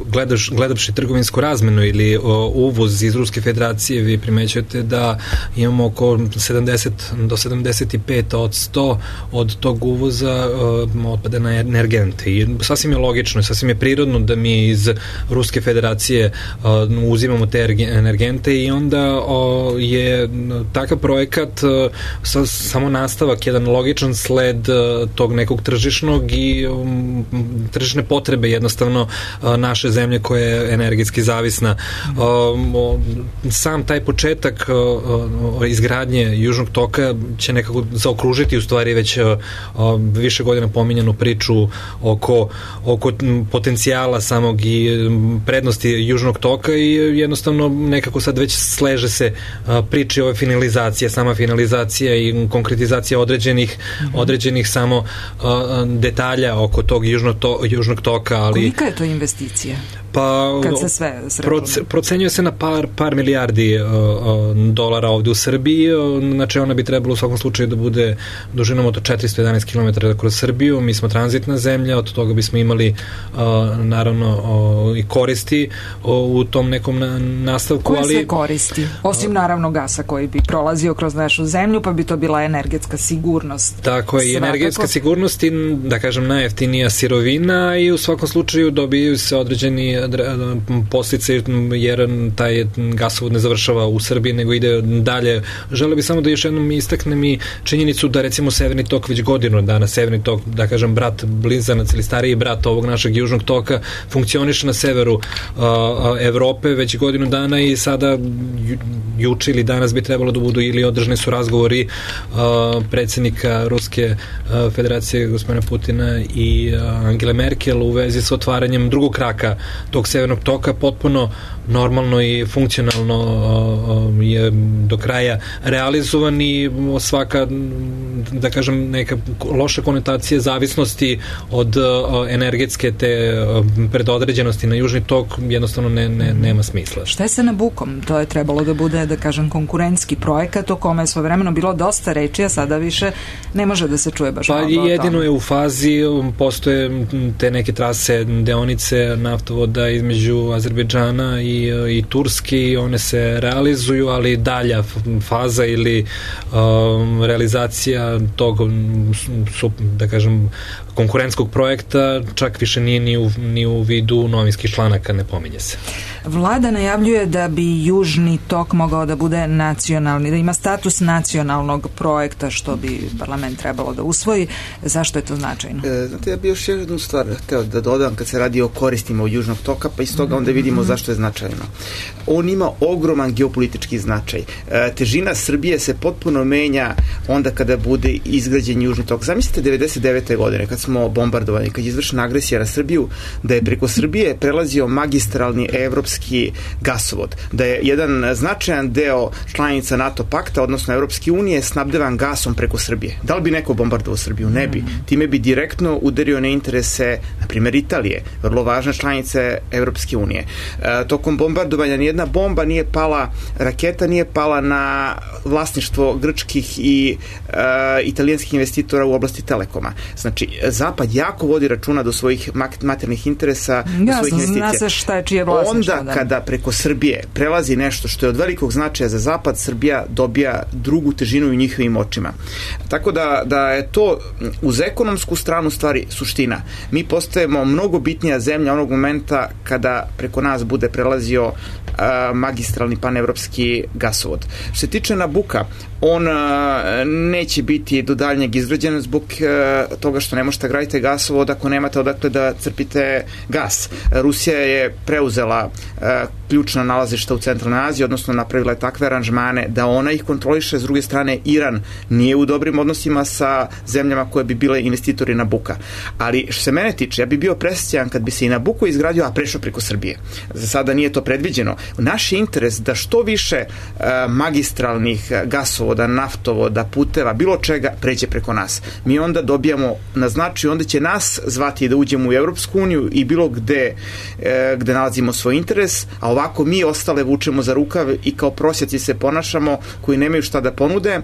gledaš, gledavši trgovinsku razmenu ili o, uvoz iz Ruske federacije, vi primećujete da imamo oko sedamdeset do sedamdeset pet odsto od tog uvoza o, otpada na energente. I sasvim je logično, sasvim je prirodno da mi iz Ruske federacije o, uzimamo te energente i onda o, je takav projekat o, sa, samo nastavak, jedan logičan sled o, tog nekog tržišnog i o, tržišne potrebe jednostavno o, naše zemlje koja je energetski zavisna. O, o, sam taj početak o, o, izgradnje Južnog toka će nekako zaokružiti u stvari već o, o, više godina pominjanu priču oko, oko potencijala samog i prednosti Južnog toka i jednostavno nekako sad već sleže se a, priče ove finalizacije, sama finalizacija i konkretizacija određenih, mm-hmm. određenih samo a, detalja oko tog Južnog, to, Južnog toka. Ali kolika je to investicija? Pa, kad se sve proce, procenjuje se na par, par milijardi uh, uh, dolara ovde u Srbiji, uh, znači ona bi trebalo u svakom slučaju da bude dužinom od četiristo jedanaest kilometara kroz Srbiju. Mi smo tranzitna zemlja, od toga bismo imali uh, naravno uh, i koristi uh, u tom nekom na, nastavku. Koje ali, se koristi? Osim naravno gasa koji bi prolazio kroz našu zemlju, pa bi to bila energetska sigurnost. Tako je, i energetska sigurnost i, da kažem, najjeftinija sirovina i u svakom slučaju dobiju se određeni posljedice, jer taj gasovod ne završava u Srbiji, nego ide dalje. Želeo bih samo da još jednom istaknem i činjenicu da recimo Severni tok već godinu dana, Severni tok, da kažem, brat blizanac ili stariji brat ovog našeg Južnog toka, funkcioniše na severu uh, Evrope već godinu dana i sada ju, juče ili danas bi trebalo da budu ili održani su razgovori uh, predsjednika Ruske uh, federacije gospodina Putina i uh, Angele Merkel u vezi sa otvaranjem drugog kraka tog Severnog toka, potpuno normalno i funkcionalno uh, je do kraja realizovan i svaka, da kažem, neka loša konotacija zavisnosti od uh, energetske te uh, predodređenosti na Južni tok jednostavno ne, ne, nema smisla. Šta je sa Nabukom? To je trebalo da bude, da kažem, konkurentski projekat o kome je svojevremeno bilo dosta reči, a sada više ne može da se čuje baš pa mnogo o jedino tome. Je u fazi, postoje te neke trase, deonice naftovoda između Azerbejdžana i, i Turski, one se realizuju, ali dalja faza ili um, realizacija tog, da kažem, konkurentskog projekta čak više nije ni u, ni u vidu novinskih članaka, ne pominje se. Vlada najavljuje da bi Južni tok mogao da bude nacionalni, da ima status nacionalnog projekta, što bi parlament trebalo da usvoji. Zašto je to značajno? E, znate, ja bi još jednu stvar hteo da dodam kad se radi o koristima od Južnog toka, pa iz toga onda vidimo zašto je značajno. On ima ogroman geopolitički značaj. E, težina Srbije se potpuno menja onda kada bude izgrađen Južni tok. Zamislite devedeset devete godine kad smo bombardovani, kad je izvršena agresija na Srbiju, da je preko Srbije prelazio magistralni evropski gasovod, da je jedan značajan deo članica NATO pakta, odnosno Evropske unije, snabdevan gasom preko Srbije. Da li bi neko bombardovao Srbiju? Ne bi. Time bi direktno udario na interese, na primjer, Italije, vrlo važne članice Evropske unije. E, tokom bombardovanja nijedna bomba nije pala, raketa nije pala na vlasništvo grčkih i e, italijanskih investitora u oblasti telekoma. Znači, Zapad jako vodi računa do svojih materijalnih interesa, do svojih investicija. Zna se šta je čije vlasništvo. Onda kada preko Srbije prelazi nešto što je od velikog značaja za Zapad, Srbija dobija drugu težinu u njihovim očima. Tako da, da je to uz ekonomsku stranu stvari suština. Mi postajemo mnogo bitnija zemlja onog momenta kada preko nas bude prelazio a, magistralni panevropski gasovod. Što se tiče Nabuka, on a, neće biti do daljnjeg izgrađen zbog a, toga što ne možete graditi gasovod ako nemate odakle da crpite gas. Rusija je preuzela a, ključna nalazišta u centralnoj Aziji, odnosno napravila je takve aranžmane da ona ih kontroliše. S druge strane, Iran nije u dobrim odnosima sa zemljama koje bi bile investitori Nabuka. Ali što se mene tiče, ja bi bio presrećan kad bi se i Nabuko izgradio, a prešao preko Srbije. Za sada nije to predviđeno. Naš je interes da što više uh, magistralnih gasovoda, naftovoda, puteva, bilo čega pređe preko nas. Mi onda dobijamo na značaju, onda će nas zvati da uđemo u Evropsku uniju i bilo gde, uh, gde nalazimo svoj interes, a ovako mi ostale vučemo za rukav i kao prosjaci se ponašamo koji nemaju šta da ponude,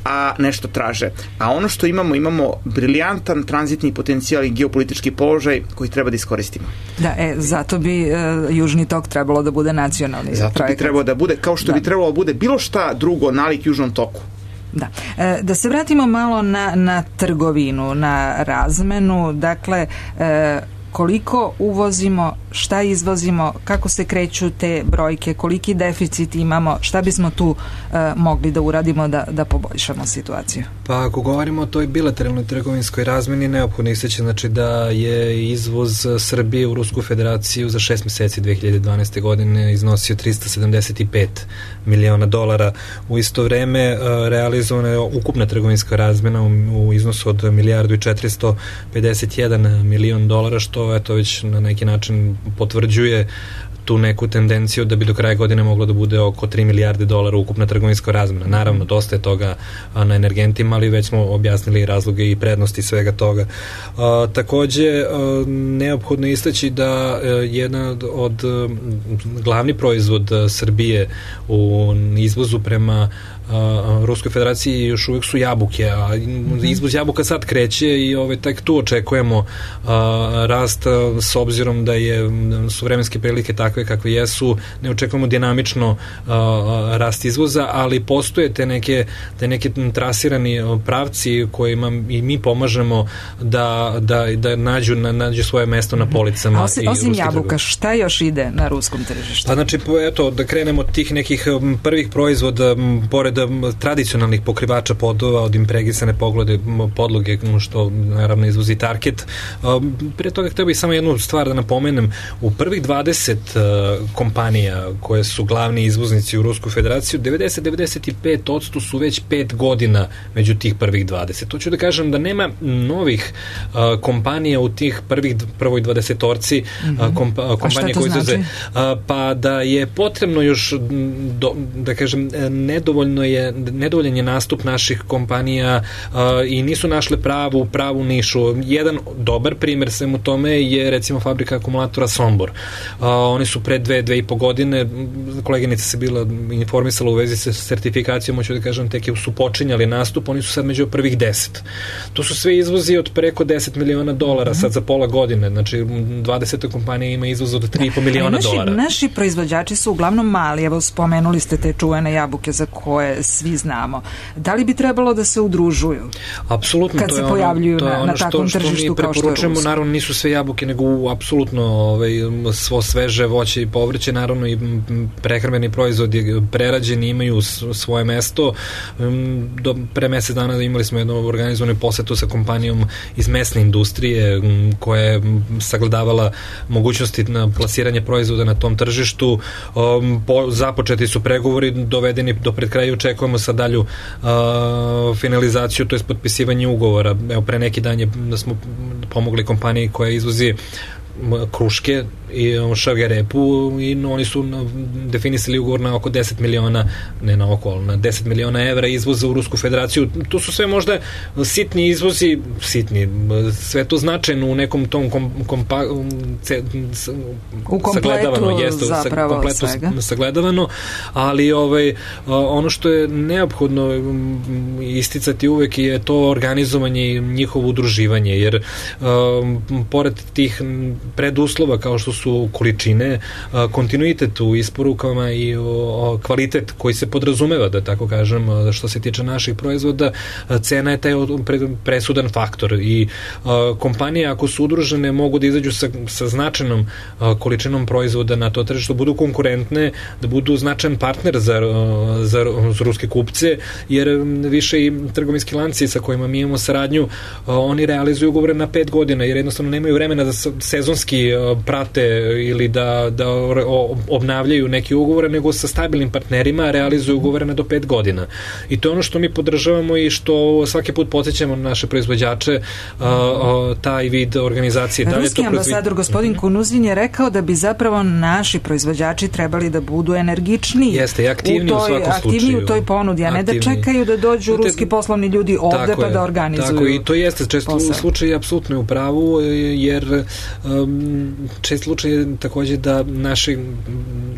a nešto traže. A ono što imamo, imamo briljantan tranzitni potencijal i geopolitički položaj koji treba da iskoristimo. Da, e, zato bi e, Južni tok trebalo da bude nacionalni zato projekat. Bi trebalo da bude, kao što da. bi trebalo da bude bilo šta drugo nalik Južnom toku. Da. E, da se vratimo malo na, na trgovinu, na razmenu, dakle, e, koliko uvozimo, šta izvozimo, kako se kreću te brojke, koliki deficit imamo, šta bismo tu e, mogli da uradimo da, da poboljšamo situaciju? Pa ako govorimo o toj bilateralnoj trgovinskoj razmeni, neophodno istaći znači da je izvoz Srbije u Rusku federaciju za šest meseci dve hiljade dvanaeste. godine iznosio trista sedamdeset pet miliona dolara. U isto vreme e, realizovana je ukupna trgovinska razmena u, u iznosu od milijardu i četiristo pedeset jedan milion dolara, što eto već na neki način potvrđuje tu neku tendenciju da bi do kraja godine moglo da bude oko tri milijarde dolara ukupna trgovinska razmena. Naravno, dosta je toga na energentima, ali već smo objasnili razloge i prednosti svega toga. A, takođe, a, neophodno je istaći da a, jedan od a, glavni proizvod Srbije u izvozu prema Uh, Ruskoj federaciji još uvijek su jabuke, a izvoz jabuka sad kreće i ovaj, tek tu očekujemo uh, rast uh, s obzirom da je su vremenske prilike takve kakve jesu, ne očekujemo dinamično uh, rast izvoza, ali postoje te neke, te neke trasirani pravci kojima i mi pomažemo da, da, da nađu, na, nađu svoje mesto na policama. Osim, osim jabuka, šta još ide na ruskom tržištu? Pa znači, eto, da krenemo od tih nekih prvih proizvoda, pored tradicionalnih pokrivača podova od impregnisane poglede, podloge, što naravno izvozi Target. Prije toga htio bih samo jednu stvar da napomenem. U prvih dvadeset kompanija koje su glavni izvoznici u Rusku federaciju, devedeset do devedeset pet posto su već pet godina među tih prvih dvadeset. To ću da kažem da nema novih kompanija u tih prvih prvoj dvadesetorci kompa, kompanije koje izvoze. Znači? Pa da je potrebno još do, da kažem nedovoljno je nedovoljan je nastup naših kompanija uh, i nisu našle pravu pravu nišu. Jedan dobar primjer svemu tome je recimo fabrika akumulatora Sombor. Uh, oni su pre dve, dve i po godine, koleginica se bila informisala u vezi sa sertifikacijom, hoću da kažem, tek su počinjali nastup, oni su sad među prvih deset. To su sve izvozi od preko deset miliona dolara mm-hmm. sad za pola godine, znači dvadeset kompanija ima izvoz od tri i po miliona naši, dolara. Naši proizvođači su uglavnom mali, evo spomenuli ste te čuvene jabuke za koje svi znamo. Da li bi trebalo da se udružuju? Apsolutno, kad to se je pojavljuju ono, to je ono na, na takvom što, tržištu što kao što je Rusko? Naravno nisu sve jabuke, nego apsolutno ovaj, svo sveže voće i povrće, naravno i prehrambeni proizvodi prerađeni imaju svoje mesto. Do pre mesec dana imali smo jednu organizovanu posetu sa kompanijom iz mesne industrije koja je sagledavala mogućnosti na plasiranje proizvoda na tom tržištu. Po, započeti su pregovori, dovedeni do pred kraja, očekujemo sa dalju uh, finalizaciju, to je potpisivanje ugovora. Evo, pre neki dan je, da smo pomogli kompaniji koja izvozi kruške i Šagerepu i oni su definisali ugovor na oko deset miliona, ne na oko, na deset miliona evra izvoza u Rusku federaciju. To su sve možda sitni izvozi, sitni, sve to značajno u nekom tom kom, kompa, ce, u kompletu jeste, zapravo kompletu svega. Sagledavano, ali ovaj, ono što je neophodno isticati uvek je to organizovanje i njihovo udruživanje, jer um, pored tih preduslova kao što su količine, uh, kontinuitet u isporukama i o, o, kvalitet koji se podrazumeva, da tako kažem, što se tiče naših proizvoda, cena je taj pre, presudan faktor i uh, kompanije ako su udružene mogu da izađu sa, sa značajnom uh, količinom proizvoda na to tržište, da budu konkurentne, da budu značajan partner za, uh, za, za ruske kupce, jer više i trgovinski lanci sa kojima mi imamo saradnju, uh, oni realizuju ugovore na pet godina, jer jednostavno nemaju vremena da sezonski uh, prate ili da, da o, obnavljaju neki ugovore, nego sa stabilnim partnerima realizuju ugovore na do pet godina. I to je ono što mi podržavamo i što svaki put podsjećamo naše proizvođače, uh, uh, taj vid organizacije. Ruski ambasador gospodin Kunuzin je rekao da bi zapravo naši proizvođači trebali da budu energičniji. Jeste, i aktivniji u, toj, u svakom slučaju. Aktivniji u toj ponudi, a ne da čekaju da dođu Znate, ruski poslovni ljudi ovde pa je, da organizuju. Tako i to jeste često u slučaju apsolutno u pravu, jer um, čest slučaj je takođe da naši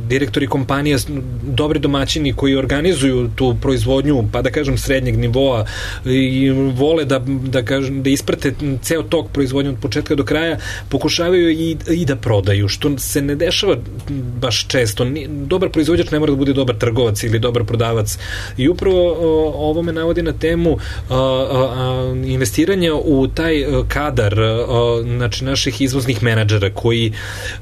direktori kompanija, dobri domaćini koji organizuju tu proizvodnju, pa da kažem srednjeg nivoa i vole da, da, kažem, da isprate ceo tok proizvodnje od početka do kraja, pokušavaju i, i da prodaju, što se ne dešava baš često. Dobar proizvođač ne mora da bude dobar trgovac ili dobar prodavac. I upravo o, ovo me navodi na temu a, a, investiranja u taj kadar a, znači naših izvoznih menadžera koji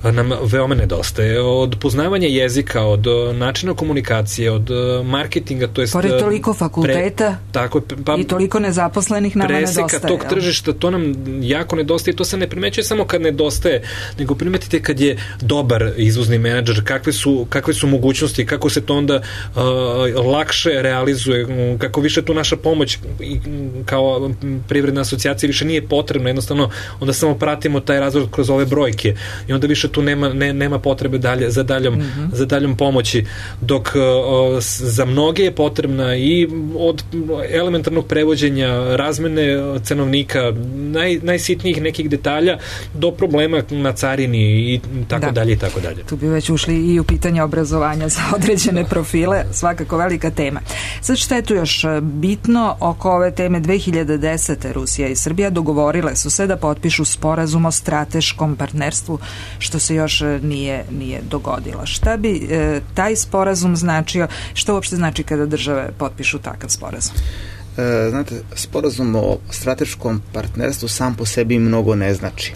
nam veoma nedostaje. Od poznavanja jezika, od načina komunikacije, od marketinga, to jest... Pored toliko fakulteta pre, tako, pa, i toliko nezaposlenih nama nedostaje. Preseka tog tržišta, to nam jako nedostaje. To se ne primećuje samo kad nedostaje, nego primetite kad je dobar izvozni menadžer, kakve su, kakve su mogućnosti, kako se to onda uh, lakše realizuje, kako više tu naša pomoć i, kao privredna asocijacija više nije potrebna, jednostavno onda samo pratimo taj razvoj kroz ove brojke i onda više tu nema, ne, nema potrebe dalje, za, daljom, mm-hmm. za daljom pomoći, dok uh, za mnoge je potrebna i od elementarnog prevođenja, razmene cenovnika, naj, najsitnijih nekih detalja do problema na carini i tako da. dalje i tako dalje. Tu bi već ušli i u pitanje obrazovanja za određene profile, svakako velika tema. Sad šta je tu još bitno oko ove teme? dve hiljade desete. Rusija i Srbija dogovorile su se da potpišu sporazum o strateškom partnerstvu, što se još nije, nije dogodilo. Šta bi e, taj sporazum značio? Što uopšte znači kada države potpišu takav sporazum? E, znate, sporazum o strateškom partnerstvu sam po sebi mnogo ne znači.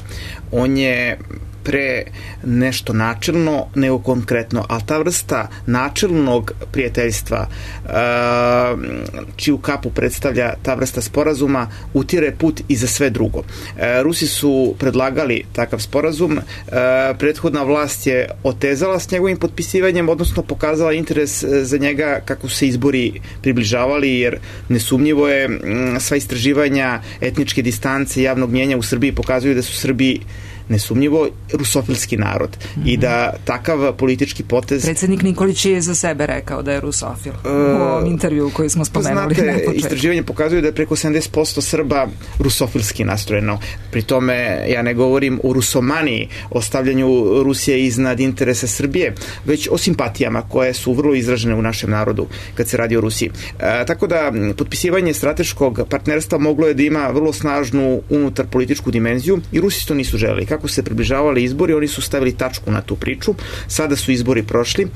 On je pre nešto načelno nego konkretno, ali ta vrsta načelnog prijateljstva uh, čiju kapu predstavlja ta vrsta sporazuma utire put i za sve drugo. Uh, Rusi su predlagali takav sporazum, uh, prethodna vlast je otezala s njegovim potpisivanjem, odnosno pokazala interes za njega kako se izbori približavali, jer nesumnjivo je m, sva istraživanja etničke distance javnog mnjenja u Srbiji pokazuju da su Srbi nesumnjivo rusofilski narod mm-hmm. i da takav politički potez... Predsednik Nikolić je za sebe rekao da je rusofil uh, u ovom intervju koji smo spomenuli. Znate, istraživanje pokazuju da je preko sedamdeset posto Srba rusofilski nastrojeno. Pri tome ja ne govorim o rusomaniji, o stavljanju Rusije iznad interesa Srbije, već o simpatijama koje su vrlo izražene u našem narodu kad se radi o Rusiji. E, tako da potpisivanje strateškog partnerstva moglo je da ima vrlo snažnu unutar političku dimenziju i Rusi to nisu želeli. Kako se približavali izbori, oni su stavili tačku na tu priču. Sada su izbori prošli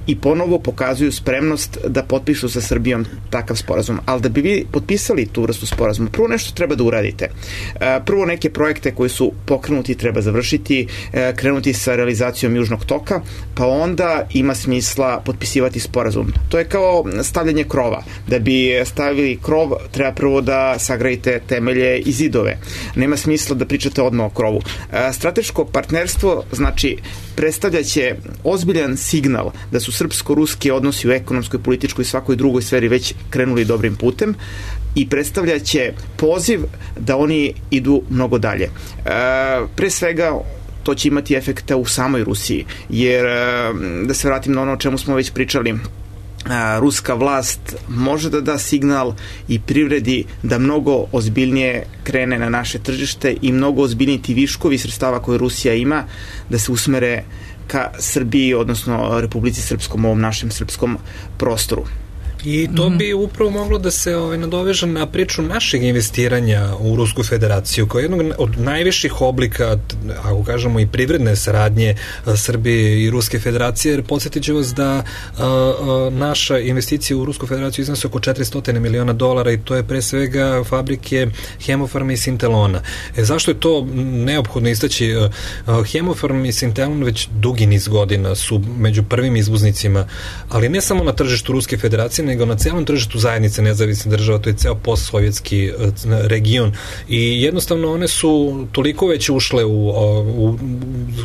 i ponovo pokazuju spremnost da potpišu sa Srbijom takav sporazum. Ali da bi vi potpisali tu vrstu sporazuma, prvo nešto treba da uradite. Prvo neke projekte koji su pokrenuti treba završiti, krenuti sa realizacijom Južnog toka, pa onda ima smisla potpisivati sporazum. To je kao stavljanje krova. Da bi stavili krov, treba prvo da sagradite temelje i zidove. Nema smisla da pričate odmah o krovu. Strateško partnerstvo znači predstavljaće ozbiljan signal da su srpsko-ruski odnosi u ekonomskoj, političkoj i svakoj drugoj sferi već krenuli dobrim putem i predstavljaće poziv da oni idu mnogo dalje. E, pre svega to će imati efekta u samoj Rusiji, jer da se vratim na ono o čemu smo već pričali, ruska vlast može da da signal i privredi da mnogo ozbiljnije krene na naše tržište i mnogo ozbiljniji ti viškovi sredstava koje Rusija ima da se usmere ka Srbiji, odnosno Republici Srpskom, ovom našem srpskom prostoru. I to bi upravo moglo da se ovaj, nadoveže na priču našeg investiranja u Rusku federaciju, kao jednog od najviših oblika, ako kažemo i privredne saradnje Srbije i Ruske federacije, jer podsjetit ću vas da a, a, naša investicija u Rusku federaciju iznosi oko četiristo miliona dolara i to je pre svega fabrike Hemofarma i Sintelona. E, zašto je to neophodno istaći? Hemofarm i Sintelon već dugi niz godina su među prvim izvoznicima, ali ne samo na tržištu Ruske federacije, nego na celom tržištu zajednice nezavisnih država, to je ceo postsovjetski region i jednostavno one su toliko već ušle u, u,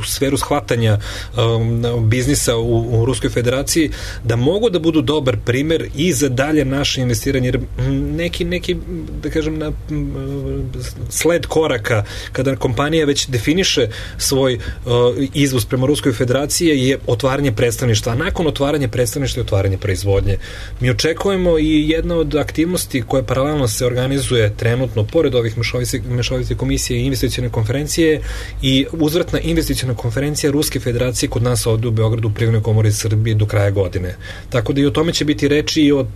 u sferu shvatanja um, biznisa u, u Ruskoj federaciji da mogu da budu dobar primer i za dalje naše investiranje, jer neki, neki da kažem na sled koraka kada kompanija već definiše svoj uh, izvoz prema Ruskoj federaciji je otvaranje predstavništva, a nakon otvaranja predstavništva je otvaranje proizvodnje. Mi očekujemo i jedna od aktivnosti koje paralelno se organizuje trenutno pored ovih mešovite komisije i investicione konferencije i uzvratna investiciona konferencija Ruske federacije kod nas ovde u Beogradu u Privrednoj komori Srbije do kraja godine. Tako da i o tome će biti reči i o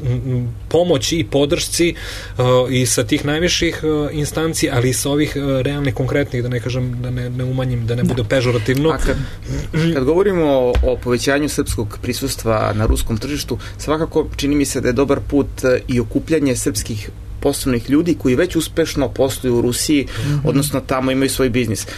pomoći i podršci uh, i sa tih najviših uh, instanci, ali i sa ovih uh, realnih, konkretnih, da ne kažem, da ne, ne umanjim, da ne bude pežorativno. A kad, kad govorimo o, o povećanju srpskog prisustva na ruskom tržištu, svakako čini mi se da je dobar put i okupljanje srpskih poslovnih ljudi koji već uspešno posluju u Rusiji, mm-hmm. odnosno tamo imaju svoj biznis. E,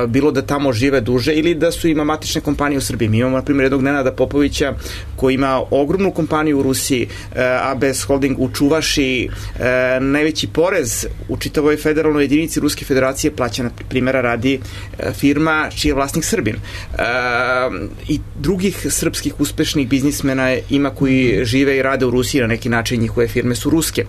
bilo da tamo žive duže ili da su ima matične kompanije u Srbiji. Mi imamo, na primjer, jednog Nenada Popovića koji ima ogromnu kompaniju u Rusiji, e, A B S Holding u Čuvaši, e, najveći porez u čitavoj federalnoj jedinici Ruske federacije plaća, na primjera radi e, firma čiji je vlasnik Srbin. E, I drugih srpskih uspešnih biznismena ima koji žive i rade u Rusiji, na neki način njihove firme su ruske.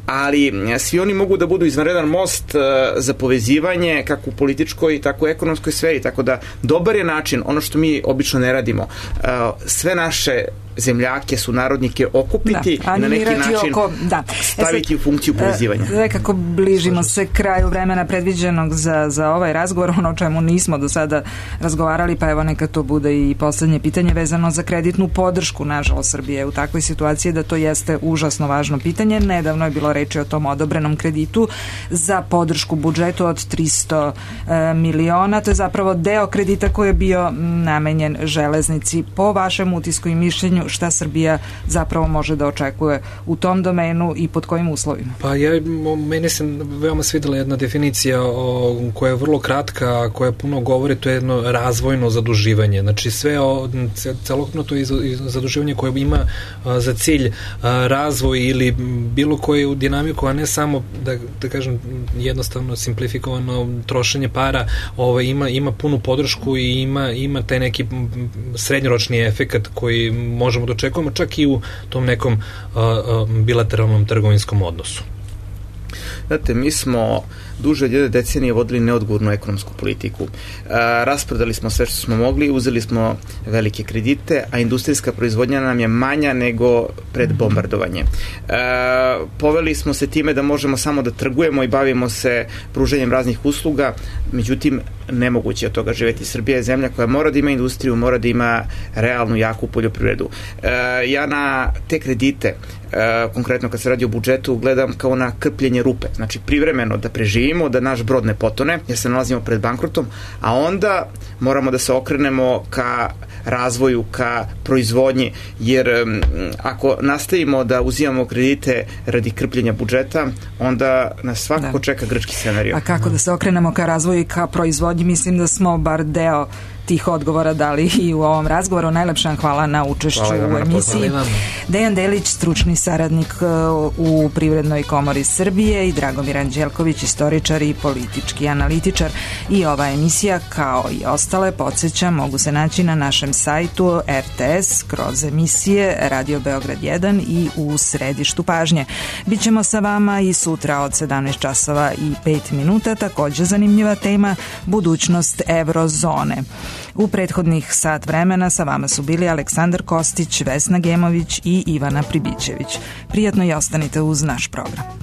Ali svi oni mogu da budu izvanredan most uh, za povezivanje kako u političkoj, tako u ekonomskoj sferi, tako da dobar je način, ono što mi obično ne radimo, uh, sve naše zemljake, sunarodnike okupiti da, na neki način oko, da. staviti e sad, u funkciju povezivanja. Nekako bližimo se kraju vremena predviđenog za, za ovaj razgovor, ono o čemu nismo do sada razgovarali, pa evo neka to bude i poslednje pitanje vezano za kreditnu podršku. Nažalost, Srbije u takvoj situaciji da to jeste užasno važno pitanje. Nedavno je bilo reči o tom odobrenom kreditu za podršku budžetu od tristo e, miliona. To je zapravo deo kredita koji je bio namenjen železnici. Po vašem utisku i mišljenju, šta Srbija zapravo može da očekuje u tom domenu i pod kojim uslovima? Pa ja, meni se veoma svidela jedna definicija o, koja je vrlo kratka, koja puno govori, to je jedno razvojno zaduživanje. Znači sve o, celokupno to je zaduživanje koje ima a, za cilj a, razvoj ili bilo koju dinamiku, a ne samo da, da kažem jednostavno simplifikovano trošenje para, ovaj, ima, ima punu podršku i ima, ima taj neki srednjoročni efekat koji možemo da očekujemo čak i u tom nekom a, a, bilateralnom trgovinskom odnosu. Znate, mi smo duže od jedne decenije vodili neodgovornu ekonomsku politiku. E, rasprodali smo sve što smo mogli, uzeli smo velike kredite, a industrijska proizvodnja nam je manja nego pred bombardovanje. E, poveli smo se time da možemo samo da trgujemo i bavimo se pruženjem raznih usluga, međutim, nemoguće od toga živeti. Srbija je zemlja koja mora da ima industriju, mora da ima realnu, jaku poljoprivredu. E, ja na te kredite, e, konkretno kad se radi o budžetu, gledam kao na krpljenje rupe. Znači, privremeno da preživimo, da naš brod ne potone, jer se nalazimo pred bankrotom, a onda moramo da se okrenemo ka razvoju, ka proizvodnji, jer um, ako nastavimo da uzimamo kredite radi krpljenja budžeta, onda nas svakako da. čeka grčki scenario. A kako da se okrenemo ka razvoju i ka proizvodnji? Mislim da smo bar deo tih odgovora dali i u ovom razgovoru. Najlepša vam hvala na učešću u emisiji. Dejan Delić, stručni saradnik u Privrednoj komori Srbije, i Dragomir Anđelković, istoričar i politički analitičar. I ova emisija, kao i ostale, podsjećam, mogu se naći na našem sajtu R T S kroz emisije Radio Beograd jedan i u središtu pažnje. Bićemo sa vama i sutra od sedamnaest časova i pet minuta, takođe zanimljiva tema, budućnost eurozone. U prethodnih sat vremena sa vama su bili Aleksandar Kostić, Vesna Gemović i Ivana Pribićević. Prijatno i ostanite uz naš program.